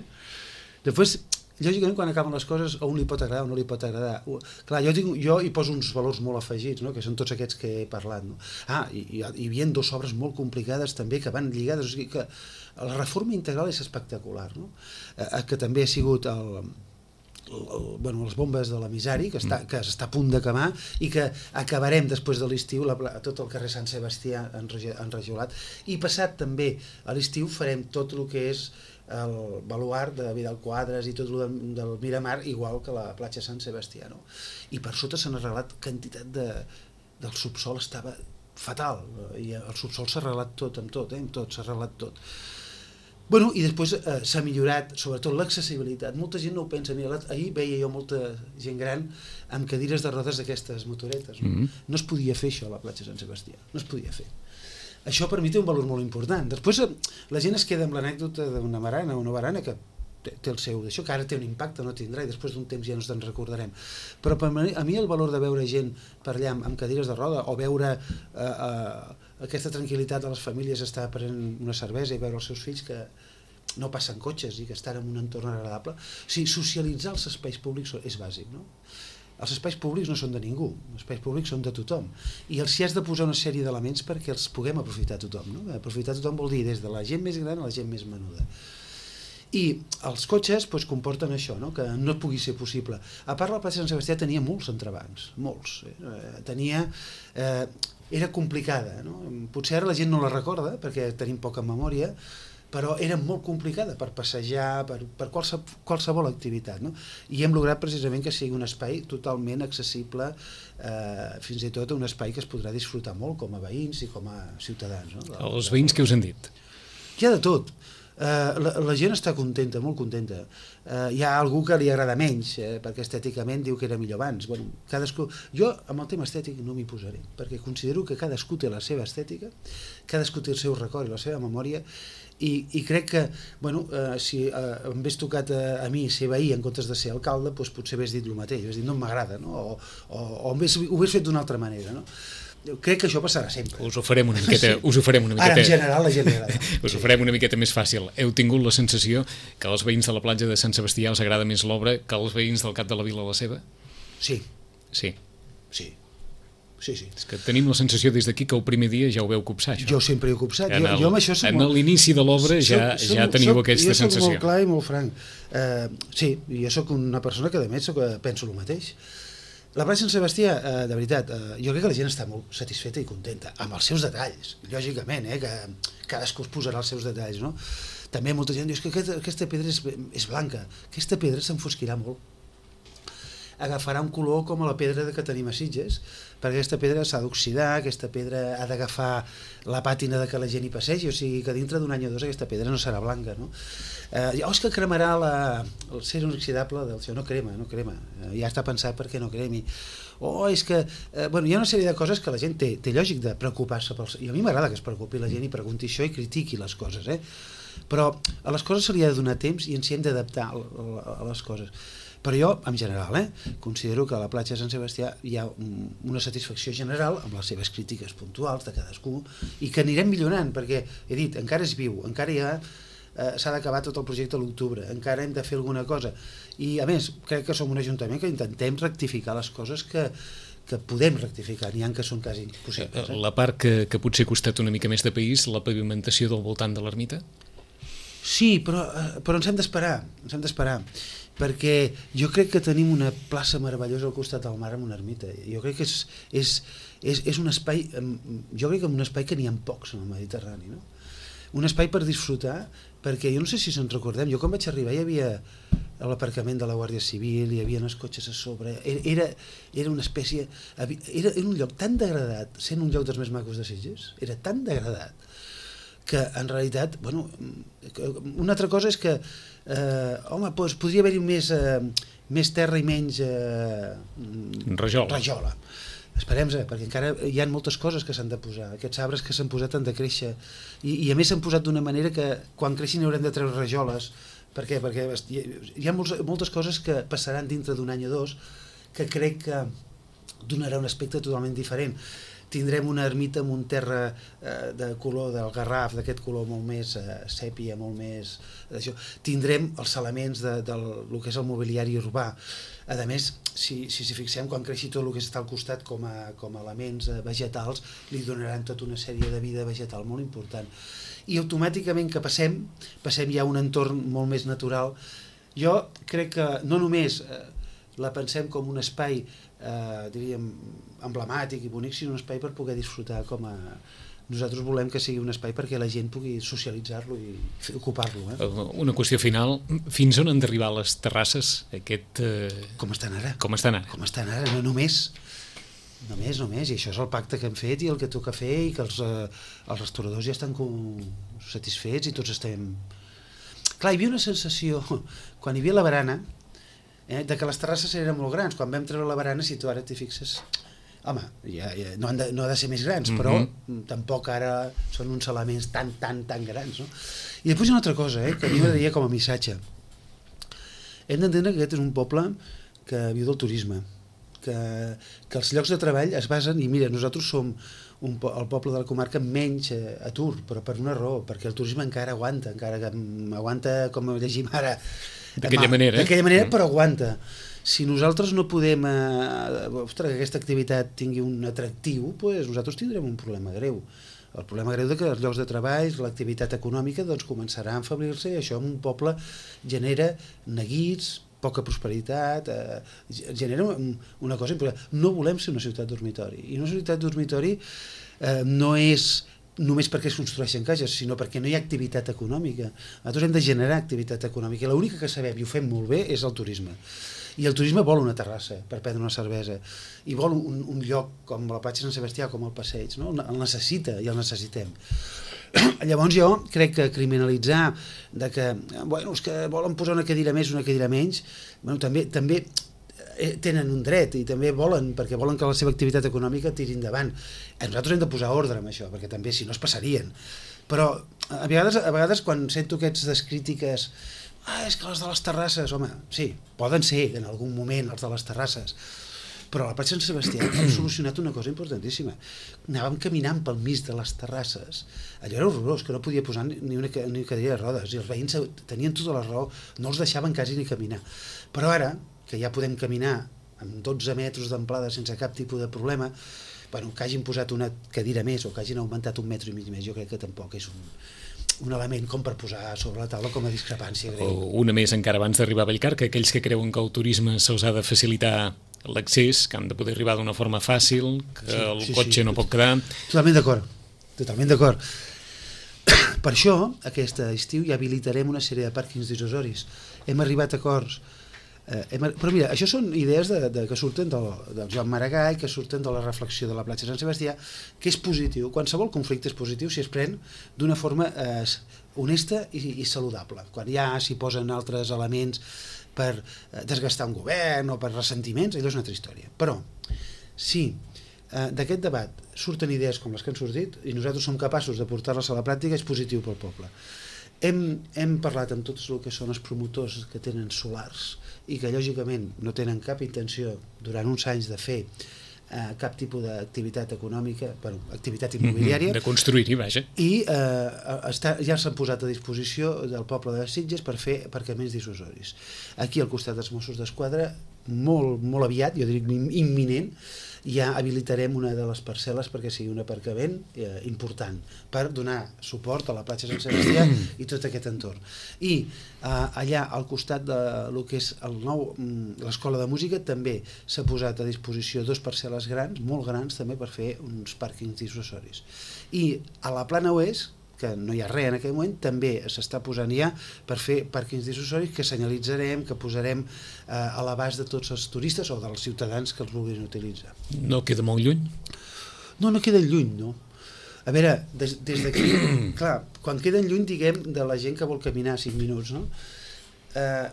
Després, lògicament, quan acaben les coses, a un li pot agradar o no li pot agradar. Clar, jo, dic, jo hi poso uns valors molt afegits, no? Que són tots aquests que he parlat. No? Ah, i hi havia dues obres molt complicades també que van lligades, o sigui que la reforma integral és espectacular, no? Eh, que també ha sigut el... El, bueno, les bombes de l'emissari que està, que està a punt d'acabar i que acabarem després de l'estiu tot el carrer Sant Sebastià enrajolat i passat també a l'estiu farem tot el que és el baluart de Vidal Quadras i tot el del, del Miramar igual que la platja Sant Sebastià, no? I per sota s'han arreglat quantitat de, del subsol estava fatal i el subsol s'ha arreglat tot amb tot, eh? Amb tot s'ha arreglat tot. Bueno, i després eh, s'ha millorat, sobretot l'accessibilitat. Molta gent no ho pensa. Mira, ahir veia jo molta gent gran amb cadires de rodes d'aquestes motoretes. No? Mm-hmm. No es podia fer això a la platja Sant Sebastià, no es podia fer. Això per mi té un valor molt important. Després eh, la gent es queda amb l'anècdota d'una marana o una barana que té, té el seu d'això, que ara té un impacte, no tindrà, i després d'un temps ja no ens en recordarem. Però per mi, a mi el valor de veure gent per allà amb cadires de roda o veure... Eh, eh, aquesta tranquil·litat de les famílies estar prenent una cervesa i veure els seus fills que no passen cotxes i que estan en un entorn agradable. O sigui, socialitzar els espais públics és bàsic, no? Els espais públics no són de ningú, els espais públics són de tothom. I els hi has de posar una sèrie d'elements perquè els puguem aprofitar tothom, no? Aprofitar tothom vol dir des de la gent més gran a la gent més menuda. I els cotxes doncs, comporten això, no? Que no pugui ser possible. A part, la platja Sant Sebastià tenia molts entrebancs, molts. Eh? Tenia... Eh, era complicada, no? Potser ara la gent no la recorda perquè tenim poca memòria, però era molt complicada per passejar, per, per qualse, qualsevol activitat, no? I hem lograt precisament que sigui un espai totalment accessible, eh, fins i tot un espai que es podrà disfrutar molt com a veïns i com a ciutadans. No? Els veïns que us han dit? Hi ha de tot. Uh, la, la gent està contenta, molt contenta. Uh, hi ha algú que li agrada menys, eh, perquè estèticament diu que era millor abans. Bueno, cadascú... Jo amb el tema estètic no m'hi posaré, perquè considero que cadascú té la seva estètica, cadascú té el seu record i la seva memòria, i, i crec que, bueno, uh, si uh, em hagués tocat a, a mi ser veí en comptes de ser alcalde, doncs potser hagués dit el mateix, hagués dit no m'agrada, no? o, o, o hagués, ho hagués fet d'una altra manera, no? Crec que això passarà sempre. Us ho farem una miqueta... Sí. Us ho farem una miqueta... Ara, en general, la gent li agrada. Us ho farem una miqueta més fàcil. Heu tingut la sensació que als veïns de la platja de Sant Sebastià els agrada més l'obra que als veïns del Cap de la Vila la seva? Sí. Sí. Sí. Sí, sí. És que tenim la sensació des d'aquí que el primer dia ja ho veu copsar, això. Jo sempre he copsat. En, el, jo, jo amb això en molt... l'inici de l'obra ja, soc, ja teniu soc, aquesta jo sensació. Jo soc molt clar i molt franc. Uh, sí, jo soc una persona que, a més, soc, penso el mateix. La platja Sant Sebastià, eh, de veritat, eh, jo crec que la gent està molt satisfeta i contenta, amb els seus detalls, lògicament, eh, que cadascú es posarà els seus detalls, no? També molta gent diu que aquesta, aquesta pedra és, és blanca, aquesta pedra s'enfosquirà molt, agafarà un color com a la pedra que tenim a Sitges, perquè aquesta pedra s'ha d'oxidar, aquesta pedra ha d'agafar la pàtina de que la gent hi passegi, o sigui que dintre d'un any o dos aquesta pedra no serà blanca, no? Eh, oh, és que cremarà la, el ser inoxidable del seu, no crema, no crema, eh, ja està pensat perquè no cremi. O oh, és que, eh, bueno, hi ha una sèrie de coses que la gent té, té lògic de preocupar-se, pels, i a mi m'agrada que es preocupi la gent i pregunti això i critiqui les coses, eh? Però a les coses se li ha de donar temps i ens hi hem d'adaptar a les coses. Però jo, en general, eh, considero que a la platja de Sant Sebastià hi ha una satisfacció general amb les seves crítiques puntuals de cadascú i que anirem millorant, perquè, he dit, encara és viu, encara hi ha, eh, s'ha d'acabar tot el projecte a l'octubre, encara hem de fer alguna cosa. I, a més, crec que som un ajuntament que intentem rectificar les coses que, que podem rectificar, n'hi ha que són quasi impossibles. Eh? La part que, que potser ha costat una mica més de país, la pavimentació del voltant de l'ermita? Sí, però, però ens hem d'esperar, ens hem d'esperar, perquè jo crec que tenim una plaça meravellosa al costat del mar amb una ermita. Jo crec que és, és, és, és un espai, jo crec que un espai que n'hi ha pocs en el Mediterrani, no? Un espai per disfrutar, perquè jo no sé si se'n recordem, jo quan vaig arribar hi havia l'aparcament de la Guàrdia Civil, hi havia els cotxes a sobre, era, era una espècie, era, era un lloc tan degradat, sent un lloc dels més macos de Sitges, era tan degradat, que en realitat, bueno, una altra cosa és que, eh, home, doncs podria haver-hi més, eh, més terra i menys eh, rajola. rajola. Esperem-se, perquè encara hi ha moltes coses que s'han de posar. Aquests arbres que s'han posat han de créixer. I, i a més s'han posat d'una manera que quan creixin haurem de treure rajoles. Per què? Perquè hi ha molts, moltes coses que passaran dintre d'un any o dos que crec que donarà un aspecte totalment diferent. Tindrem una ermita amb un terra eh, de color del Garraf, d'aquest color molt més eh, sèpia, molt més d'això. Tindrem els elements de, del el que és el mobiliari urbà. A més, si si, si fixem, quan creixi tot el que està al costat com a, com a elements eh, vegetals, li donaran tota una sèrie de vida vegetal molt important. I automàticament que passem, passem ja a un entorn molt més natural. Jo crec que no només eh, la pensem com un espai eh, diríem emblemàtic i bonic, sinó un espai per poder disfrutar com a... Nosaltres volem que sigui un espai perquè la gent pugui socialitzar-lo i ocupar-lo. Eh? Una qüestió final, fins on han d'arribar les terrasses? Aquest, eh... Com estan ara. Com estan ara. Com estan ara, no només... Només, només, i això és el pacte que hem fet i el que toca fer i que els, eh, els restauradors ja estan com satisfets i tots estem... Clar, hi havia una sensació, quan hi havia la barana, eh, de que les terrasses eren molt grans. Quan vam treure la barana, si tu ara t'hi fixes... Home, ja, ja, no, han de, no ha de ser més grans, però mm-hmm. tampoc ara són uns elements tan, tan, tan grans, no? I després hi ha una altra cosa, eh, que a mi m'agradaria com a missatge. Hem d'entendre que aquest és un poble que viu del turisme, que, que els llocs de treball es basen, i mira, nosaltres som un, el poble de la comarca amb menys eh, atur, però per una raó, perquè el turisme encara aguanta, encara que aguanta, com llegim ara, d'aquella manera, d'aquella manera, però aguanta. Si nosaltres no podem eh, ostres, que aquesta activitat tingui un atractiu, doncs nosaltres tindrem un problema greu. El problema greu de que els llocs de treball, l'activitat econòmica, doncs començarà a enfeblir-se i això en un poble genera neguits, poca prosperitat, eh, genera una cosa important. No volem ser una ciutat dormitori. I una ciutat dormitori eh, no és només perquè es construeixen cases, sinó perquè no hi ha activitat econòmica. Nosaltres hem de generar activitat econòmica. L'única que sabem i ho fem molt bé és el turisme. I el turisme vol una terrassa per prendre una cervesa i vol un, un lloc com la platja de Sant Sebastià, com el passeig, no? El necessita i el necessitem. Llavors jo crec que criminalitzar de que, bueno, és que volen posar una cadira més, una cadira menys, bueno, també, també tenen un dret i també volen, perquè volen que la seva activitat econòmica tiri endavant. Nosaltres hem de posar ordre en això, perquè també si no es passarien. Però a vegades, a vegades quan sento aquestes crítiques, ah, és que les de les terrasses, home, sí, poden ser en algun moment els de les terrasses, però a la platja de Sant Sebastià hem solucionat una cosa importantíssima. Anàvem caminant pel mig de les terrasses, allò era horrorós, que no podia posar ni una, ni una cadira de rodes, i els veïns tenien tota la raó, no els deixaven quasi ni caminar. Però ara, que ja podem caminar amb dotze metres d'amplada sense cap tipus de problema, bueno, que hagin posat una cadira més o que hagin augmentat un metre i mig més, jo crec que tampoc és un... un element com per posar sobre la taula com a discrepància greu. O una més encara abans d'arribar a Vallcar, que aquells que creuen que el turisme se'ls ha de facilitar l'accés, que han de poder arribar d'una forma fàcil, que sí, el sí, cotxe sí, no pot quedar... Totalment d'acord, totalment d'acord. Per això, aquest estiu ja habilitarem una sèrie de pàrquings dissuasoris. Hem arribat a acords. Eh, hem, però mira, això són idees de, de, que surten del, del Joan Maragall, que surten de la reflexió de la platja de Sant Sebastià, que és positiu. Qualsevol conflicte és positiu si es pren d'una forma eh, honesta i, i saludable. Quan ja s'hi posen altres elements per eh, desgastar un govern o per ressentiments, allò és una altra història. Però, sí, eh, d'aquest debat surten idees com les que han sortit i nosaltres som capaços de portar-les a la pràctica, és positiu pel poble. Hem, hem parlat amb tots el que són els promotors que tenen solars i que lògicament no tenen cap intenció durant uns anys de fer eh, cap tipus d'activitat econòmica, bueno, activitat immobiliària. De construir-hi, vaja. I eh, està, ja s'han posat a disposició del poble de Sitges per fer aparcaments dissuasoris. Aquí al costat dels Mossos d'Esquadra, molt, molt aviat, jo dic imminent, ja habilitarem una de les parcel·les perquè sigui un aparcament eh, important per donar suport a la platja Sant Sebastià i tot aquest entorn. I eh, allà al costat de lo que és el nou l'escola de música també s'ha posat a disposició dos parcel·les grans, molt grans també, per fer uns pàrquings dissuasoris. I a la plana oest, que no hi ha res en aquell moment, també s'està posant ja per fer pàrquings dissuasoris que senyalitzarem, que posarem eh, a l'abast de tots els turistes o dels ciutadans que els vulguin utilitzar. No queda molt lluny? No, no queda lluny, no. A veure, des, des d'aquí, clar, quan queden lluny, diguem, de la gent que vol caminar cinc minuts, no? Eh,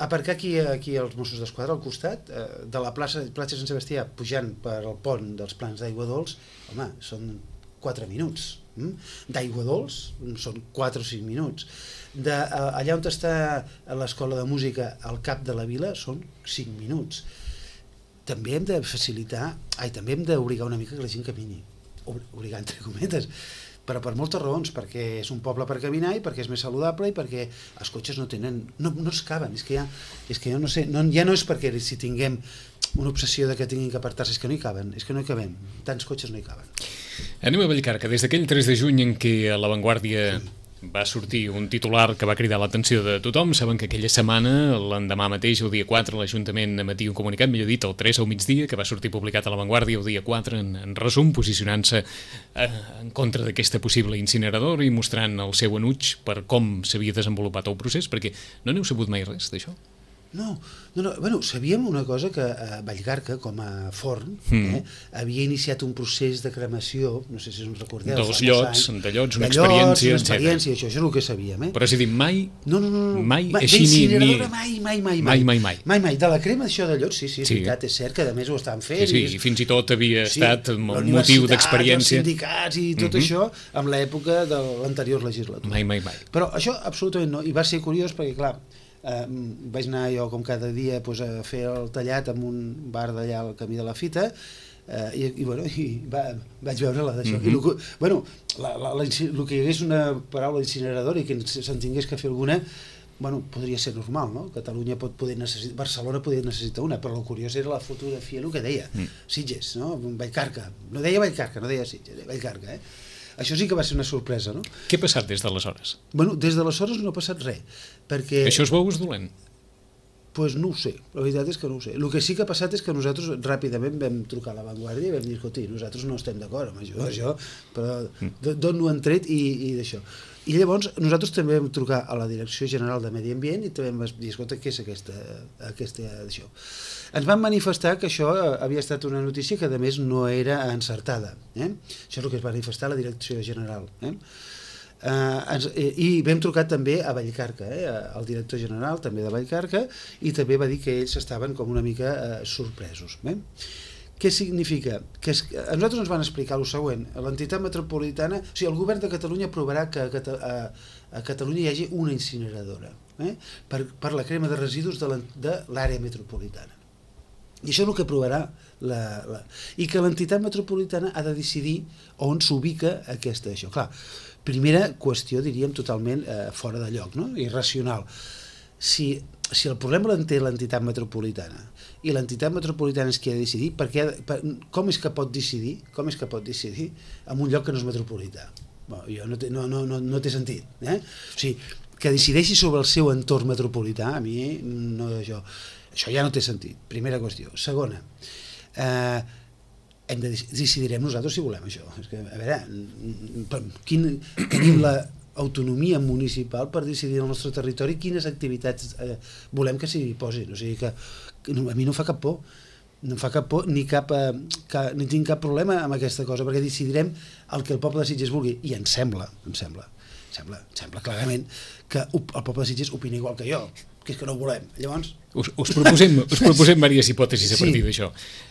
aparcar aquí, aquí els Mossos d'Esquadra al costat, eh, de la plaça, plaça Sant Sebastià, pujant per al pont dels Plans d'Aigua Dols, home, són quatre minuts. D'aigua dolç són quatre o cinc minuts. De, allà on està l'escola de música al cap de la vila són cinc minuts. També hem de facilitar, ai, també hem d'obligar una mica que la gent camini, obligar entre cometes, però per moltes raons, perquè és un poble per caminar i perquè és més saludable i perquè els cotxes no tenen, no, no es caben, és que ja, és que jo no sé, no, ja no és perquè si tinguem una obsessió de que tinguin que apartar-se, és que no hi caben, és que no hi cabem, tants cotxes no hi caben. Anem a Vallcarca. Des d'aquell tres de juny en què a La Vanguardia va sortir un titular que va cridar l'atenció de tothom, saben que aquella setmana, l'endemà mateix, el dia quatre, l'Ajuntament emetia un comunicat, millor dit, el tres al migdia, que va sortir publicat a La Vanguardia el dia quatre, en, en resum, posicionant-se eh, en contra d'aquesta possible incineradora i mostrant el seu enuig per com s'havia desenvolupat el procés, perquè no n'heu sabut mai res d'això? No, no, no, bueno, sabíem una cosa, que a Vallcarca, com a forn, mm. eh, havia iniciat un procés de cremació, no sé si us en recordeu. Dels llots, anys, de llots, una de experiència, llots, una experiència, això, això és el que sabíem. Eh? Però és a dir, mai, no, no, no, no, mai, mai així ni... ni... Mai, mai, mai, mai, mai, mai. Mai, mai. De la crema d'això de llots, sí, sí, és sí. veritat, és cert que a més ho estan fent. Sí, sí, i fins i tot havia sí, estat un motiu d'experiència. Els sindicats i tot mm-hmm. això amb l'època de l'anterior legislatura. Mai, mai, mai. Però això absolutament no, i va ser curiós perquè, clar, Uh, vaig anar jo com cada dia pues, a fer el tallat en un bar d'allà al camí de la Fita uh, i, i, bueno, i va, vaig veure la d'això. Mm-hmm. I lo, bueno, la, la, la, el que hi hagués una paraula incineradora i que se'n tingués que fer alguna, bueno, podria ser normal, no? Catalunya pot poder necessitar, Barcelona poder necessitar una, però el curiós era la fotografia, el que deia, mm. Sitges, no? Vallcarca, no deia Vallcarca, no deia Sitges, deia Vallcarca, eh? Això sí que va ser una sorpresa, no? Què ha passat des d'aleshores? Bueno, des d'aleshores no ha passat res, perquè... Això es veu dolent? Doncs pues no ho sé, la veritat és que no ho sé. El que sí que ha passat és que nosaltres ràpidament vam trucar a La Vanguardia i vam dir, escolti, nosaltres no estem d'acord amb això, això però d'on ho han tret i, i d'això. I llavors nosaltres també vam trucar a la Direcció General de Medi Ambient i també vam dir, escolta, què és aquesta, aquesta d'això? Ens van manifestar que això havia estat una notícia que a més no era encertada. Eh? Això és el que es va manifestar a la Direcció General. Eh? Uh, ens, i vam trucar també a Vallcarca, eh? Al director general també de Vallcarca, i també va dir que ells estaven com una mica uh, sorpresos. Eh? Què significa? Que es, a nosaltres ens van explicar el següent: l'entitat metropolitana, o sigui, el govern de Catalunya aprovarà que a, a, a Catalunya hi hagi una incineradora eh? per, per la crema de residus de l'àrea metropolitana. I això és el que aprovarà la, la... i que l'entitat metropolitana ha de decidir on s'ubica aquesta això. Clar, primera qüestió, diríem, totalment eh, fora de lloc, no? Irracional. Si, si el problema l'entén l'entitat metropolitana i l'entitat metropolitana és qui ha de decidir, perquè, per, com és que pot decidir com és que pot decidir en un lloc que no és metropolità? Bueno, jo no, té, no, no, no, no té sentit. Eh? O sigui, que decideixi sobre el seu entorn metropolità, a mi no, això, això ja no té sentit, primera qüestió. Segona, eh, hem de decidirem nosaltres si volem això. És que, a veure, quin, tenim l'autonomia municipal per decidir el nostre territori quines activitats eh, volem que s'hi posin. O sigui que, que a mi no em fa cap por, no em fa cap por ni cap, eh, cap, ni tinc cap problema amb aquesta cosa, perquè decidirem el que el poble de Sitges vulgui, i em sembla, em sembla, em sembla, em sembla clarament que el poble de Sitges opina igual que jo, que és que no ho volem. Llavors... Us, us, proposem, us proposem diverses hipòtesis a partir Sí. d'això.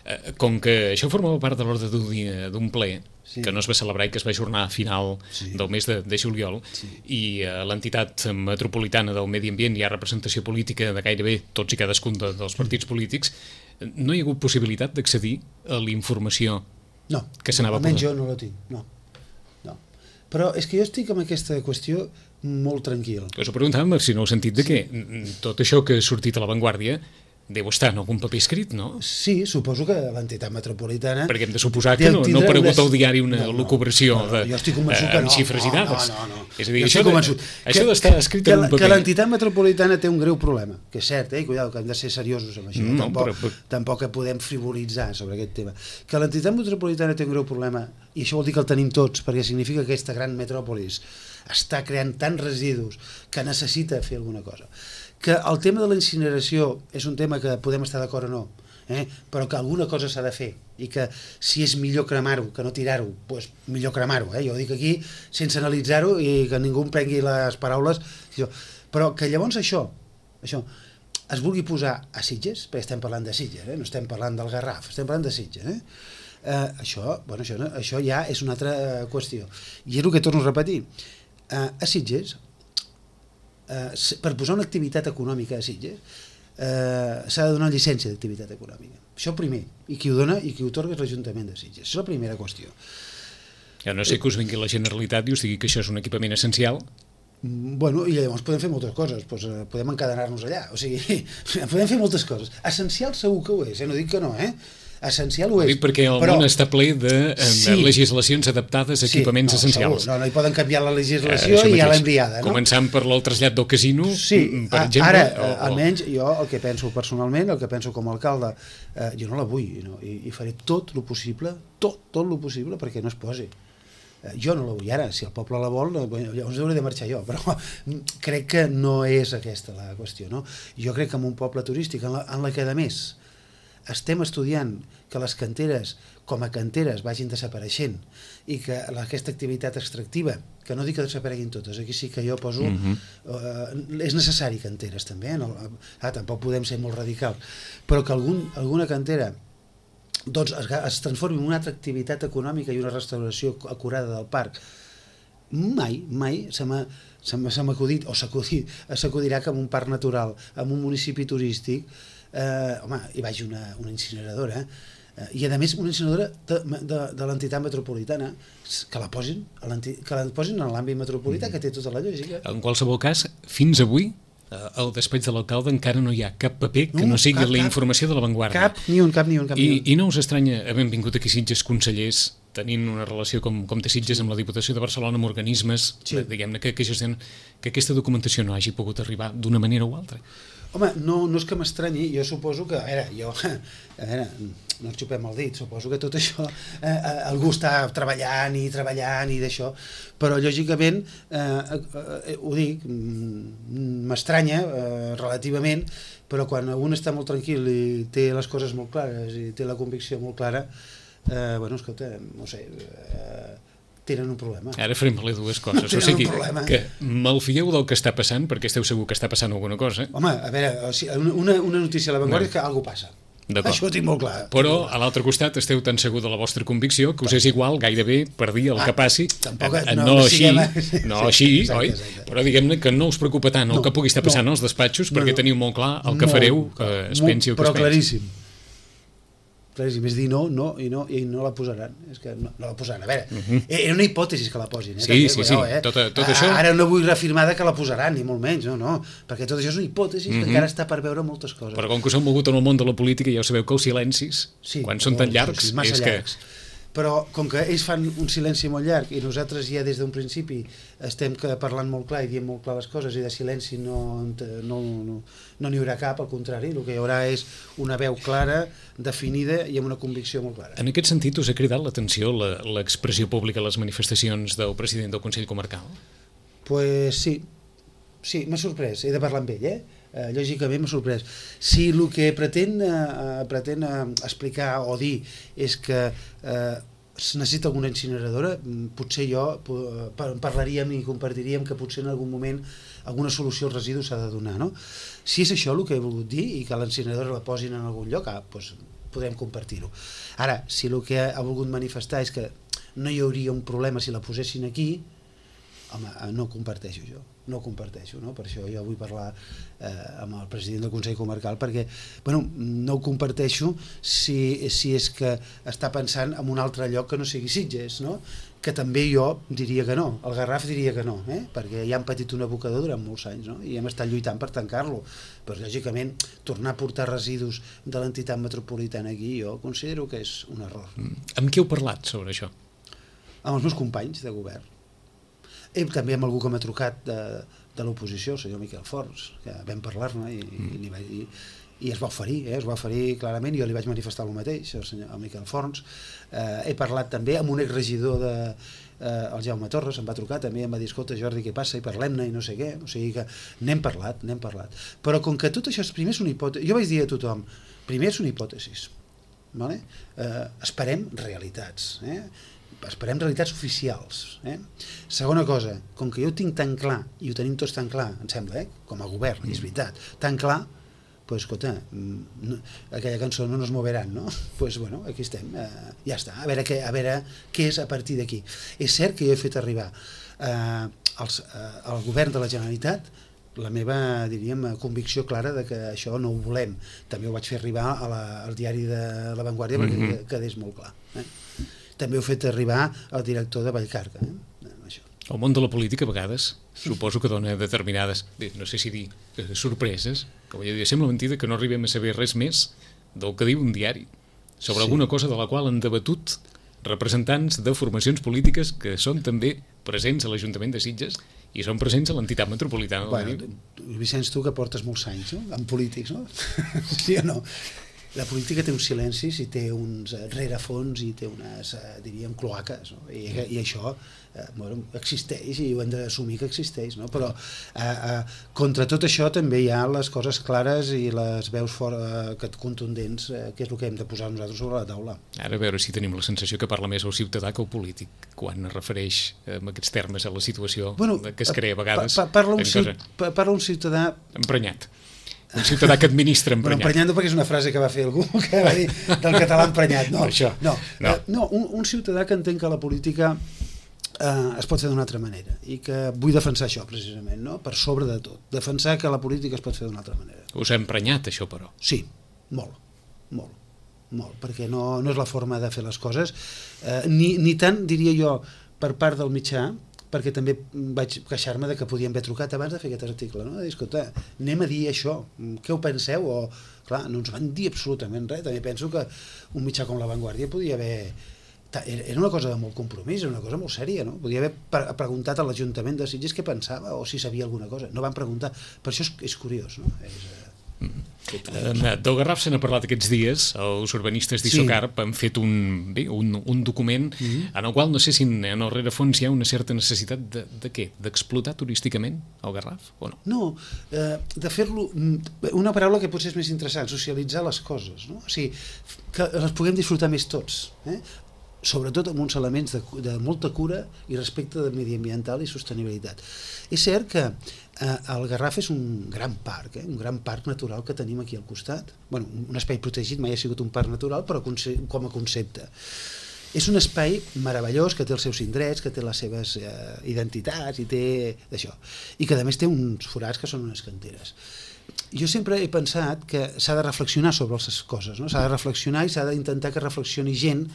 Eh, Com que això formava part de l'ordre d'un dia- d'un ple, Sí. que no es va celebrar i que es va ajornar a final Sí. del mes de, de juliol, Sí. i a l'entitat metropolitana del Medi Ambient hi ha representació política de gairebé tots i cadascun de, dels partits polítics, no hi ha hagut possibilitat d'accedir a la informació No, que s'anava almenys posant. jo no la tinc, no. no. Però és que jo estic amb aquesta qüestió molt tranquil. Us ho preguntàvem si no heu sentit de què. Tot això que ha sortit a l'avantguàrdia deu estar en algun paper escrit, no? Sí, suposo que l'entitat metropolitana... Perquè hem de suposar que deu no, no tindre ha aparegut unes- al diari una No, no, lucubració no, no, de, jo estic convençut eh, que amb no, xifres i no, dades. No, no, no. És a dir, Jo això, estic convençut de, això d'estar escrit que, en un que paper... l'entitat metropolitana té un greu problema, que és cert, eh? Cuidado, que hem de ser seriosos amb això, Mm, no, tampoc, però- però- tampoc podem frivolitzar sobre aquest tema. Que l'entitat metropolitana té un greu problema, i això vol dir que el tenim tots, perquè significa que aquesta gran metròpolis està creant tants residus que necessita fer alguna cosa. Que el tema de la incineració és un tema que podem estar d'acord o no, eh? Però que alguna cosa s'ha de fer, i que si és millor cremar-ho que no tirar-ho, doncs millor cremar-ho, eh? Jo ho dic aquí sense analitzar-ho i que ningú em prengui les paraules, però que llavors això, això es vulgui posar a Sitges, perquè estem parlant de Sitges, eh? No estem parlant del Garraf, estem parlant de Sitges, eh? Eh, això, bueno, això, això ja és una altra qüestió, i és el que torno a repetir. Uh, a Sitges, uh, per posar una activitat econòmica a Sitges, uh, s'ha de donar llicència d'activitat econòmica. Això primer, i qui ho dona i qui ho otorga és l'Ajuntament de Sitges. Això és la primera qüestió. Ja no sé que us vingui la Generalitat i us digui que això és un equipament essencial. Mm, Bueno, i llavors podem fer moltes coses, doncs, eh, podem encadenar-nos allà, o sigui, podem fer moltes coses. Essencial segur que ho és, eh? No dic que no, eh? Essencial ho Ho és. dic perquè el però... món està ple de eh, Sí. legislacions adaptades a equipaments no, essencials. Segur. No, no hi poden canviar la Eh, legislació això i ja mateix. l'hem liada, no? Començant per el trasllat del casino, Sí, mm, per a- exemple. ara, o- eh, o- almenys jo el que penso personalment, el que penso com a alcalde, eh, jo no la vull, no? I, i faré tot el possible, tot, tot el possible perquè no es posi. Eh, jo no la vull ara, si el poble la vol, eh, bueno, llavors hauré de marxar jo, però crec que no és aquesta la qüestió, no? Jo crec que en un poble turístic, en la, en la que a més estem estudiant que les canteres com a canteres vagin desapareixent i que aquesta activitat extractiva, que no dic que desapareguin totes, aquí sí que jo poso Mhm. eh, és necessari canteres també, eh? no, ah, tampoc podem ser molt radicals, però que algun, alguna cantera doncs es, es transformi en una altra activitat econòmica i una restauració acurada del parc, mai, mai se m'ha se m'ha se m'ha acudit, o s'acudit, s'acudirà que en un parc natural, en un municipi turístic, eh, home, hi vagi una, una incineradora, eh, i a més una incineradora de, de, de l'entitat metropolitana, que la posin, a l'enti- que la posin en l'àmbit metropolità, que té tota la lògica. En qualsevol cas, fins avui, eh, al despatx de l'alcalde encara no hi ha cap paper que No, no sigui cap, la cap. informació de l'avantguàrdia. Cap, ni un, cap, ni un, cap, ni I, un. I no us estranya haver vingut aquí Sitges consellers tenint una relació com, com té Sitges amb la Diputació de Barcelona, amb organismes, Sí. eh, diguem-ne, que, que gestionen, que aquesta documentació no hagi pogut arribar d'una manera o altra. Home, no, no és que m'estranyi, jo suposo que, a veure, jo, a veure, no ens xupem el dit, suposo que tot això, eh, eh, algú està treballant i treballant i d'això, però lògicament, eh, eh, ho dic, mm, m'estranya eh, relativament, però quan un està molt tranquil i té les coses molt clares i té la convicció molt clara, eh, bueno, escolta, no sé, eh, tenen un problema. Ara farem valer dues coses. Tenen O sigui, un problema. que malfieu del que està passant, perquè esteu segur que està passant alguna cosa, Home, a veure, o sigui, una, una notícia a l'avantguàrdia No. és que alguna cosa passa. D'acord. Això ho tinc molt clar. però a l'altre costat esteu tan segur de la vostra convicció que us és igual gairebé per dir el Ah, que passi, tampoc- eh, no, no, no així, siguem- no sí, així, exacte, oi? exacte. Però diguem-ne que no us preocupa tant el No, que pugui estar passant no. als despatxos No, perquè no. teniu molt clar el que Molt, fareu, que es molt, pensi el que però es pensi. claríssim. Claríssim, és dir no, no, i no, i no la posaran. És que no, no la posaran. A veure, uh -huh. era una hipòtesi que la posin. Eh? Sí, També, sí, cuidao, sí. Eh? Tot, tot A, això... Ara no vull reafirmar que la posaran, ni molt menys, no, no. Perquè tot això és una hipòtesi uh -huh. que Mhm. encara està per veure moltes coses. Però com que us heu mogut en el món de la política, ja ho sabeu que els silencis, Sí, quan són no, tan sí, llargs, sí, massa és llargs. que... però com que ells fan un silenci molt llarg i nosaltres ja des d'un principi estem que parlant molt clar i diem molt clar les coses i de silenci no no no, no n'hi haurà cap, al contrari, el que hi haurà és una veu clara, definida i amb una convicció molt clara. En aquest sentit, us ha cridat l'atenció l'expressió pública a les manifestacions del president del Consell Comarcal? Pues sí, sí, m'ha sorprès, he de parlar amb ell, eh? Uh, lògicament m'ha sorprès. Si el que pretén, uh, pretén uh, explicar o dir és que uh, es necessita alguna incineradora, potser jo uh, parlaríem i compartiríem que potser en algun moment alguna solució als residus s'ha de donar, no? Si és això el que he volgut dir i que l'incineradora la posin en algun lloc, ah, doncs podem compartir-ho. Ara, si el que ha volgut manifestar és que no hi hauria un problema si la posessin aquí, home, no ho comparteixo jo, no ho comparteixo, no? Per això jo vull parlar eh, amb el president del Consell Comarcal perquè, bueno, no ho comparteixo si, si és que està pensant en un altre lloc que no sigui Sitges, no? Que també jo diria que no, el Garraf diria que no, eh? Perquè ja han patit un abocador durant molts anys, no? I hem estat lluitant per tancar-lo, però lògicament tornar a portar residus de l'entitat metropolitana aquí jo considero que és un error. Mm. Amb qui heu parlat sobre això? Amb els meus companys de govern. I també amb algú que m'ha trucat de, de l'oposició, el senyor Miquel Forns, que vam parlar-ne i, mm. i, i, i es va oferir, eh? es va oferir clarament, i jo li vaig manifestar el mateix, el senyor el Miquel Forns. Eh, he parlat també amb un exregidor de, eh, el Jaume Torres, em va trucar també, em va dir, escolta Jordi, què passa? I parlem-ne i no sé què, o sigui que n'hem parlat, n'hem parlat. Però com que tot això és, primer és una hipòtesi, jo vaig dir a tothom, primer és una hipòtesi, vale? eh, esperem realitats, eh? esperem realitats oficials. Eh? Segona cosa, com que jo ho tinc tan clar, i ho tenim tots tan clar, em sembla, eh? com a govern, i és veritat, tan clar, pues, escolta, no, aquella cançó no nos moveran, no? Pues, bueno, aquí estem, eh, ja està, a veure, què, a veure què és a partir d'aquí. És cert que jo he fet arribar eh, als, eh, al govern de la Generalitat la meva, diríem, convicció clara de que això no ho volem. També ho vaig fer arribar a la, al diari de La Vanguardia perquè mm-hmm. quedés molt clar. Eh? També ho he fet arribar al director de Vallcarca. Eh? Això. El món de la política a vegades suposo que dona determinades, no sé si dir, sorpreses, com ja dir, sembla mentida que no arribem a saber res més del que diu un diari sobre sí. alguna cosa de la qual han debatut representants de formacions polítiques que són també presents a l'Ajuntament de Sitges i són presents a l'entitat metropolitana. Bueno, Vicenç, tu que portes molts anys, no? En polítics, no? Sí o no? La política té uns silencis i té uns rerefons i té unes, diríem, cloaques, no? I, i això eh, bueno, existeix i ho hem d'assumir que existeix, no? Però eh, eh, contra tot això també hi ha les coses clares i les veus fora, eh, contundents, eh, que és el que hem de posar nosaltres sobre la taula. Ara a veure si tenim la sensació que parla més el ciutadà que el polític quan es refereix en aquests termes a la situació bueno, que es crea a vegades. Pa, pa, parla, un ciut, pa, parla un ciutadà emprenyat. Un ciutadà que administra emprenyat. Bueno, emprenyat no, perquè és una frase que va fer algú que va dir del català emprenyat. No, això, no. no. Uh, no un, un ciutadà que entén que la política uh, es pot fer d'una altra manera i que vull defensar això precisament, no? Per sobre de tot. Defensar que la política es pot fer d'una altra manera. Us ha emprenyat això, però? Sí, molt, molt, molt, perquè no, no és la forma de fer les coses, uh, ni, ni tant, diria jo, per part del mitjà, perquè també vaig queixar-me de que podien haver trucat abans de fer aquest article, no? De dir, escolta, anem a dir això, què ho penseu? O, clar, no ens van dir absolutament res. També penso que un mitjà com La Vanguardia podia haver... Era una cosa de molt compromís, era una cosa molt sèria, no? Podia haver preguntat a l'Ajuntament de Sitges què pensava o si sabia alguna cosa. No van preguntar. Per això és, és curiós, no? És... Mm. Del Garraf se n'ha parlat aquests dies, els urbanistes d'Isocarp sí. han fet un, bé, un, un document mm-hmm. en el qual no sé si en el rerefons hi ha una certa necessitat de, de què? D'explotar turísticament el Garraf o no? No, eh, de fer-lo, una paraula que potser és més interessant, socialitzar les coses, no? O sigui, que les puguem disfrutar més tots, eh? Sobretot amb uns elements de, de molta cura i respecte de mediambiental i sostenibilitat. És cert que eh, el Garraf és un gran parc, eh? un gran parc natural que tenim aquí al costat. Bueno, un espai protegit, mai ha sigut un parc natural, però com a concepte. És un espai meravellós que té els seus indrets, que té les seves eh, identitats i té d'això. I que a més té uns forats que són unes canteres. Jo sempre he pensat que s'ha de reflexionar sobre les coses, no? S'ha de reflexionar i s'ha d'intentar que reflexioni gent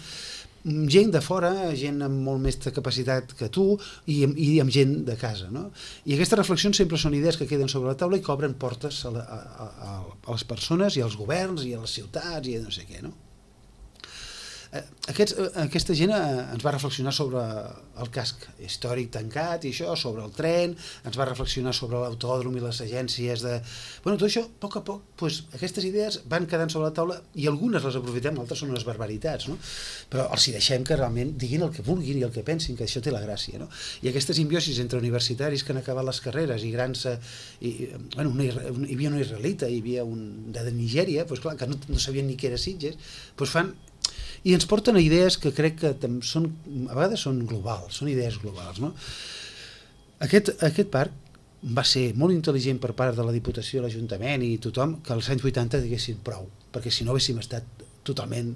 gent de fora, gent amb molt més capacitat que tu i, i amb gent de casa, no? I aquestes reflexions sempre són idees que queden sobre la taula i que obren portes a, la, a, a, a les persones i als governs i a les ciutats i a no sé què, no? Aquests, aquesta gent ens va reflexionar sobre el casc històric tancat i això, sobre el tren, ens va reflexionar sobre l'autòdrom i les agències de... Bueno, tot això, a poc a poc, doncs, aquestes idees van quedant sobre la taula i algunes les aprofitem, altres són unes barbaritats, no? Però els hi deixem que realment diguin el que vulguin i el que pensin, que això té la gràcia, no? I aquestes simbiosis entre universitaris que han acabat les carreres i grans... I, bueno, una, hi havia una israelita, hi havia un de Nigèria, doncs clar, que no, no sabien ni què era Sitges, doncs fan... I ens porten a idees que crec que són, a vegades són globals, són idees globals, no? Aquest, aquest parc va ser molt intel·ligent per part de la Diputació, l'Ajuntament i tothom, que als anys vuitanta diguessin prou, perquè si no haguéssim estat totalment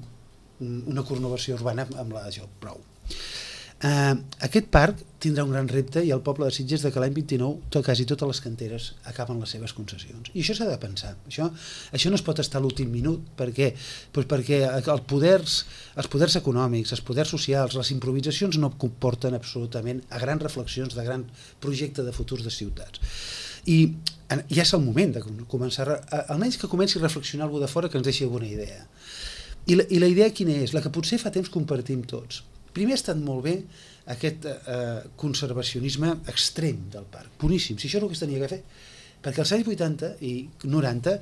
una conurbació urbana amb la jo, prou. Uh, aquest parc tindrà un gran repte i el poble de Sitges de que l'any vint-i-nou tot, quasi totes les canteres acaben les seves concessions. I això s'ha de pensar. Això, això no es pot estar a l'últim minut. Per què? Pues perquè el poders, els poders econòmics, els poders socials, les improvisacions no comporten absolutament a grans reflexions de gran projecte de futurs de ciutats. I ja és el moment de començar, a, almenys que comenci a reflexionar algú de fora que ens deixi alguna idea. I la, i la idea quina és? La que potser fa temps compartim tots. Primer ha estat molt bé aquest eh, conservacionisme extrem del parc, boníssim, si això és el que es tenia que fer, perquè als anys vuitanta i noranta,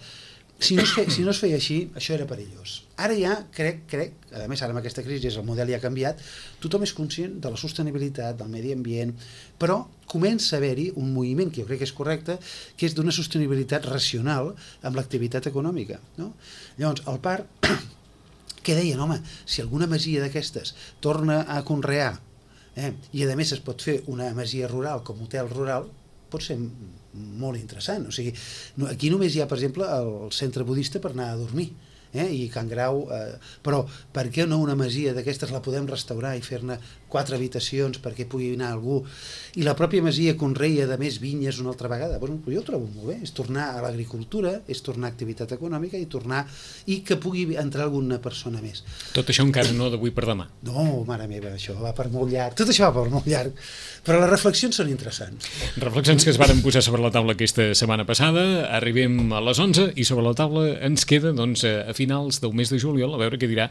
si no es feia, si no es feia així, això era perillós. Ara ja, crec, crec, a més ara amb aquesta crisi el model ja ha canviat, tothom és conscient de la sostenibilitat, del medi ambient, però comença a haver-hi un moviment que jo crec que és correcte, que és d'una sostenibilitat racional amb l'activitat econòmica, no? Llavors, el parc... que deien, home, si alguna masia d'aquestes torna a conrear eh, i a més es pot fer una masia rural com hotel rural, pot ser molt interessant. O sigui, aquí només hi ha, per exemple, el centre budista per anar a dormir, eh, i Can Grau, eh, però per què no una masia d'aquestes la podem restaurar i fer-ne quatre habitacions perquè pugui anar algú, i la pròpia masia conreia de més vinyes una altra vegada? Bueno, jo ho trobo molt bé, és tornar a l'agricultura, és tornar a activitat econòmica i tornar, i que pugui entrar alguna persona més. Tot això encara no d'avui per demà. No, mare meva, això va per molt llarg, tot això va per molt llarg, però les reflexions són interessants. Reflexions que es varen posar sobre la taula aquesta setmana passada, arribem a les onze i sobre la taula ens queda, doncs, a finals del mes de juliol, a veure què dirà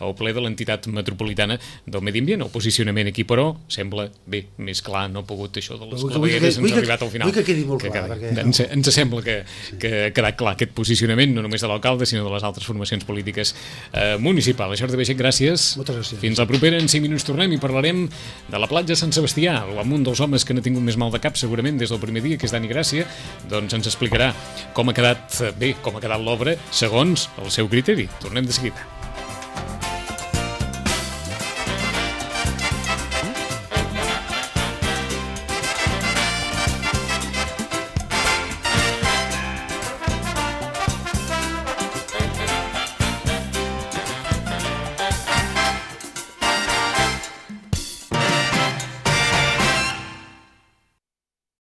el ple de l'entitat metropolitana del Medi Ambient. El posicionament aquí, però, sembla, bé, més clar, no ha pogut això de les clavegueres, ens ha arribat al final. Vull que quedi molt clar. Perquè... Ens, ens sembla que, que ha quedat clar aquest posicionament, no només de l'alcalde, sinó de les altres formacions polítiques eh, municipals. Jordi Baixet, gràcies. Moltes gràcies. Fins la propera, en cinc minuts tornem i parlarem de la platja Sant Sebastià. Un dels homes que n'ha tingut més mal de cap, segurament, des del primer dia, que és Dani Gràcia, doncs ens explicarà com ha quedat bé, com ha quedat l'obra, segons el seu criteri. Tornem de seguida.